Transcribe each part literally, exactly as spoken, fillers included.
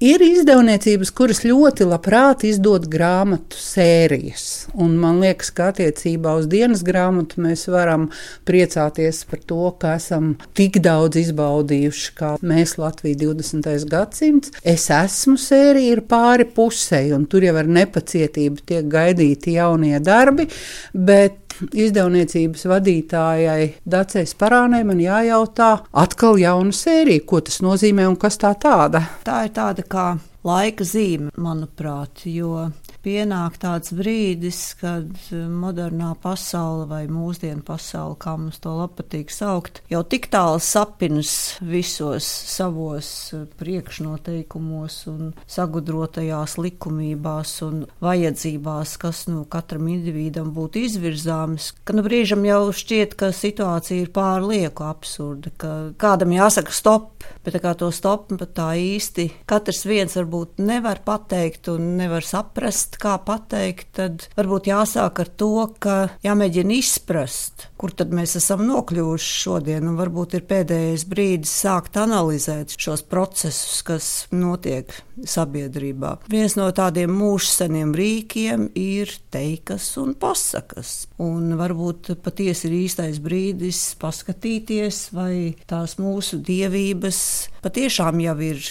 Ir izdevniecības, kuras ļoti labprāt izdod grāmatu sērijas. Un man liekas, ka attiecībā uz dienas grāmatu mēs varam priecāties par to, ka esam tik daudz izbaudījuši, kā mēs Latvija divdesmitais gadsimts. Es esmu sērija ir pāri pusei, un tur jau ar nepacietību tiek gaidīti jaunie darbi, bet izdevniecības vadītājai Dacei Sparānei man jājautā atkal jauna sērija, ko tas nozīmē un kas tā tāda? Tā ir tāda kā laika zīme, manuprāt, jo pienāk tāds brīdis, kad modernā pasaule vai mūsdienu pasaule, kā mums to patīk saukt, jau tik tālu sapinas visos savos priekšnoteikumos un sagudrotajās likumībās un vajadzībās, kas nu katram individam būtu izvirzāmas, ka nu brīžam jau šķiet, ka situācija ir pārlieku absurda, ka kādam jāsaka stop, bet tā kā to stop pat tā īsti katrs viens varbūt nevar pateikt un nevar saprast, kā pateikt, tad varbūt jāsāk ar to, ka jāmēģina izprast, kur tad mēs esam nokļuvuši šodien, un varbūt ir pēdējais brīdis sākt analizēt šos procesus, kas notiek sabiedrībā. Viens no tādiem mūžseniem rīkiem ir teikas un pasakas, un varbūt patiesi ir īstais brīdis paskatīties, vai tās mūsu dievības patiešām jau ir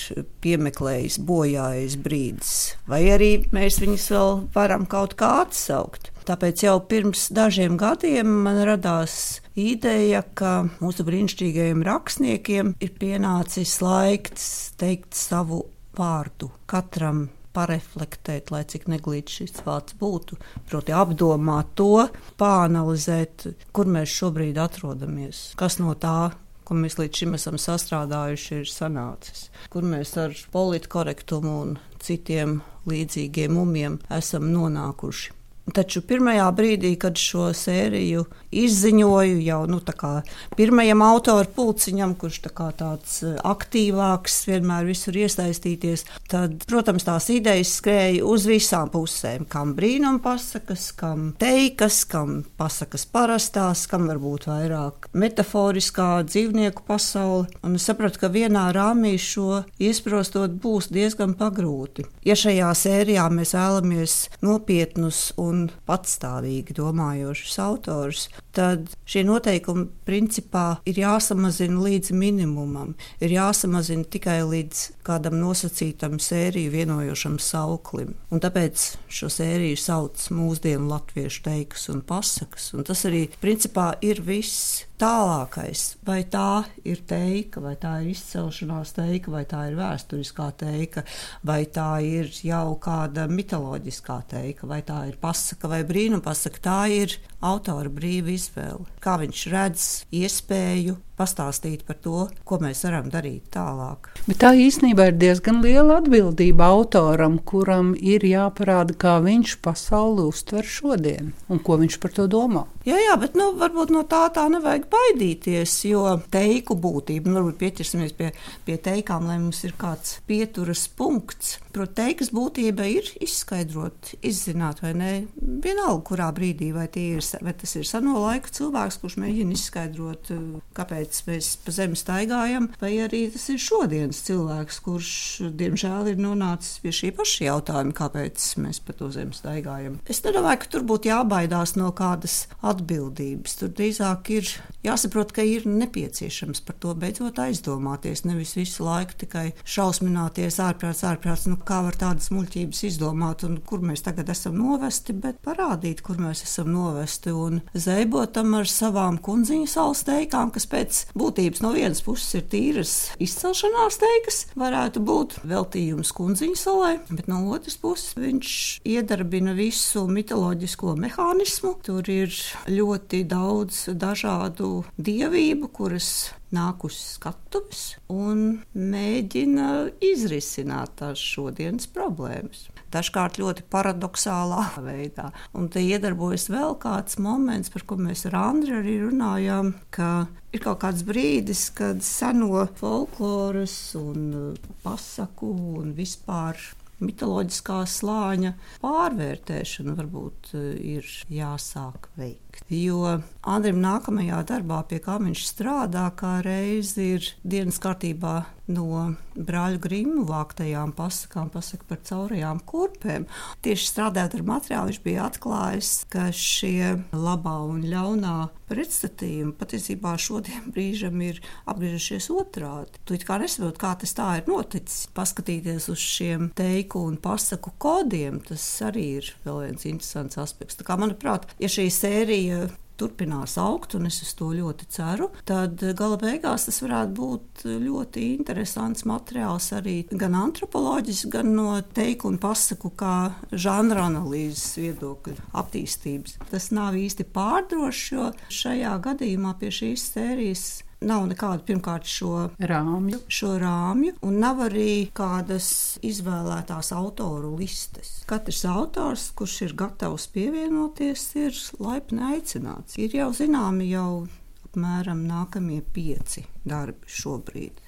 piemeklējis bojājis brīdis, vai arī mēs viņus vēl varam kaut kā atsaukt. Tāpēc jau pirms dažiem gadiem man radās ideja, ka mūsu brīnišķīgajiem rakstniekiem ir pienācis laiks teikt savu vārdu. Katram pareflektēt, lai cik neglīts šis vārds būtu, proti apdomāt to, pāanalizēt, kur mēs šobrīd atrodamies, kas no tā, ko mēs līdz šim esam sastrādājuši, ir sanācis, kur mēs ar politkorektumu un citiem līdzīgiem umiem esam nonākuši. Taču pirmajā brīdī, kad šo sēriju izziņoju jau nu, tā kā pirmajam autoru pulciņam, kurš tā kā tāds aktīvāks, vienmēr visur iesaistīties, tad, protams, tās idejas skrēja uz visām pusēm. Kam brīnum pasakas, kam teikas, kam pasakas parastās, kam varbūt vairāk metaforiskā dzīvnieku pasaule. Un es sapratu, ka vienā rāmī šo iesprostot būs diezgan pagrūti. Ja šajā sērijā mēs vēlamies nopietnus un un patstāvīgi domājošus autors, tad šie noteikumi principā ir jāsamazina līdz minimumam, ir jāsamazina tikai līdz kādam nosacītam sēriju vienojošam sauklim. Un tāpēc šo sēriju sauc mūsdienu latviešu teikas un pasakas, un tas arī principā ir viss. Tālākais, vai tā ir teika, vai tā ir izcelšanās teika, vai tā ir vēsturiskā teika, vai tā ir jau kāda mitoloģiskā teika, vai tā ir pasaka vai brīnumpasaka, tā ir autora brīva izvēle. Kā viņš redz iespēju pastāstīt par to, ko mēs varam darīt tālāk. Bet tā īstenībā ir diezgan liela atbildība autoram, kuram ir jāparāda, kā viņš pasauli uztver šodien un ko viņš par to domā. Jā, jā, bet nu, varbūt no tā tā nevajag baidīties, jo teiku būtība, nu, varbūt pieķersimies pie, pie teikām, lai mums ir kāds pieturas punkts. Proti, teikas būtība ir izskaidrot, izzināt vai ne, vienalga, kurā brīdī, vai, ir, vai tas ir seno laiku cilvēks, kurš mēģina izskaidrot, kāpēc mēs pa zemi staigājam, vai arī tas ir šodienas cilvēks, kurš, diemžēl, ir nonācis pie šī paša jautājuma, kāpēc mēs pa to zemi staigājam. Es nedomāju, ka tur būtu jābaidās no kādas atbildības. Tur drīzāk ir jāsaprot, ka ir nepieciešams par to beidzot aizdomāties, nevis visu laiku tikai šausmināties ārprāts, ārprāts, nu kā var tādas muļķības izdomāt un kur mēs tagad esam novesti, bet parādīt, kur mēs esam novesti un zeibotam ar savām kundziņu salas teikām, kas pēc būtības no vienas puses ir tīras izcelšanās teikas, varētu būt veltījums kundziņu salai, bet no otras puses viņš iedarbina visu mitoloģisko mehānismu. Tur ir ļoti daudz dažādu dievību, kuras nāk uz skatuves un mēģina izrisināt tās šodienas problēmas. Dažkārt ļoti paradoxālā veidā. Un te iedarbojas vēl kāds moments, par ko mēs ar Andri arī runājām, ka ir kaut kāds brīdis, kad seno folkloras un pasaku un vispār mitoloģiskā slāņa pārvērtēšana varbūt ir jāsāk veikt. nolikt. Jo Andrim nākamajā darbā, pie kā viņš strādā, kā reiz ir dienas kārtībā no brāļu Grimmu vāktajām pasakām, pasaka par caurajām kurpēm. Tieši strādājot ar materiālu, viņš bija atklājis, ka šie labā un ļaunā pretstatījumi patiesībā šodien brīžam ir apgriežušies otrādi. Tu it kā nesaprot, kā tas tā ir noticis. Paskatīties uz šiem teiku un pasaku kodiem, tas arī ir vēl viens interesants aspekts. Tā kā, manuprāt, ja šī sērija turpinās augt, un es uz to ļoti ceru, tad gala beigās tas varētu būt ļoti interesants materiāls arī gan antropoloģis, gan no teiku un pasaku kā žanra analīzes viedokļa attīstības. Tas nav īsti pārdrošs, jo šajā gadījumā pie šīs sērijas nav nekādu pirmkārt šo rāmju. šo rāmju, un nav arī kādas izvēlētās autoru listes. Katrs autors, kurš ir gatavs pievienoties, ir laipni aicināts. Ir jau zināmi jau apmēram nākamie pieci darbi šobrīd.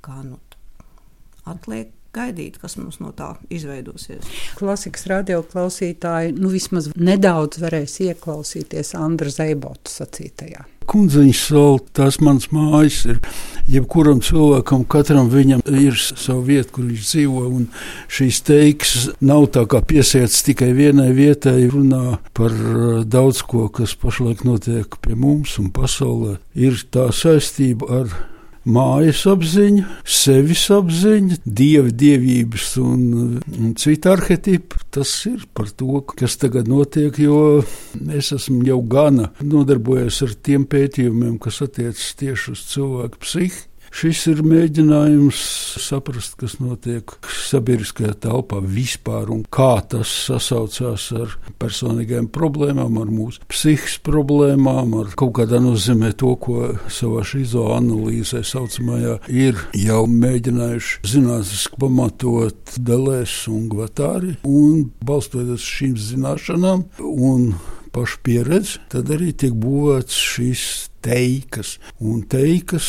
Kā nu atliek gaidīt, kas mums no tā izveidosies. Klasikas radio klausītāji nu vismaz nedaudz varēs ieklausīties Andra Zeibotu sacītajā. Kundzeņš sala, tās mans mājas ir. Jebkuram cilvēkam, katram viņam ir sava vieta, kur viņš dzīvo, un šīs teiks nav tā kā piesiets tikai vienai vietai, runā par daudz ko, kas pašlaik notiek pie mums un pasaulē. Ir tā saistība ar mājas apziņu, sevis apziņu, dievi, dievības un, un citu arhetipu. Tas ir par to, kas tagad notiek, jo es esmu jau gana nodarbojies ar tiem pētījumiem, kas attiecas tieši uz cilvēku psihi. Šis ir mēģinājums saprast, kas notiek sabiedriskajā telpā vispār un kā tas sasaucās ar personīgajām problēmām, ar mūsu psihiskas problēmām, ar kaut kādā nozīmē to, ko savā šizoanalīzē saucamajā ir jau mēģinājuši zinātniski pamatot Deleuze un Guattari, un balstoties šīm zināšanām un pašu pieredzi, tad arī tiek būvēts šīs teikas. Un teikas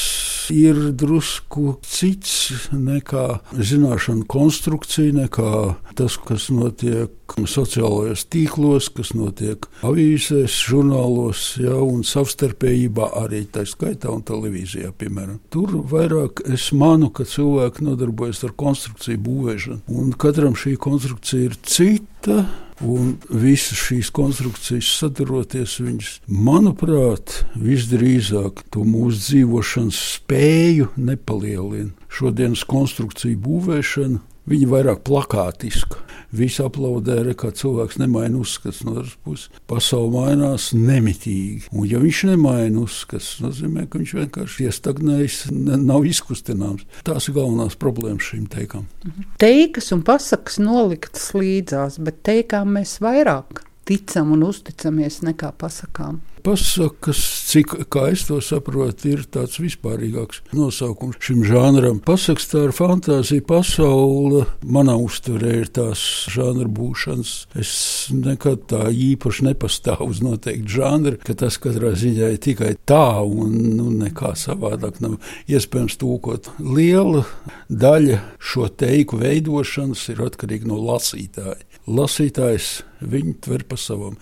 ir drusku cits nekā zināšanu konstrukcija, nekā tas, kas notiek sociālajos tīklos, kas notiek avīzēs, žurnālos, ja, un savstarpējībā arī tā skaitā un televīzijā, piemēram. Tur vairāk es manu, ka cilvēki nodarbojas ar konstrukciju būvēšanu, un katram šī konstrukcija ir cita. Un visas šīs konstrukcijas sadaroties, viņas, manuprāt, visdrīzāk to mūsu dzīvošanas spēju nepalielina. Šodienas konstrukciju būvēšana, viņa vairāk plakātiska. Visi aplaudē, re, kā cilvēks nemaina uzskats no otras puses. Pasaule mainās nemitīgi. Un ja viņš nemaina uzskats, nozīmē, ka viņš vienkārši iestagnējis, nav izkustināms. Tās ir galvenās problēmas šīm teikām. Teikas un pasakas noliktas līdzās, bet teikām mēs vairāk ticam un uzticamies nekā pasakām. Pasakas, cik, kā es to saprotu, ir tāds vispārīgāks nosaukums šim žanram. Pasakas tā ir fantāzija pasaule. Manā uztverē ir tās žanra būšanas. Es nekad tā īpaši nepastāvu uz noteikti žanri, ka tas katrā ziņā ir tikai tā un nu, nekā savādāk nav iespējams tūkot. Liela daļa šo teiku veidošanas ir atkarīga no lasītāja. Lasītājs viņu tver pa savam.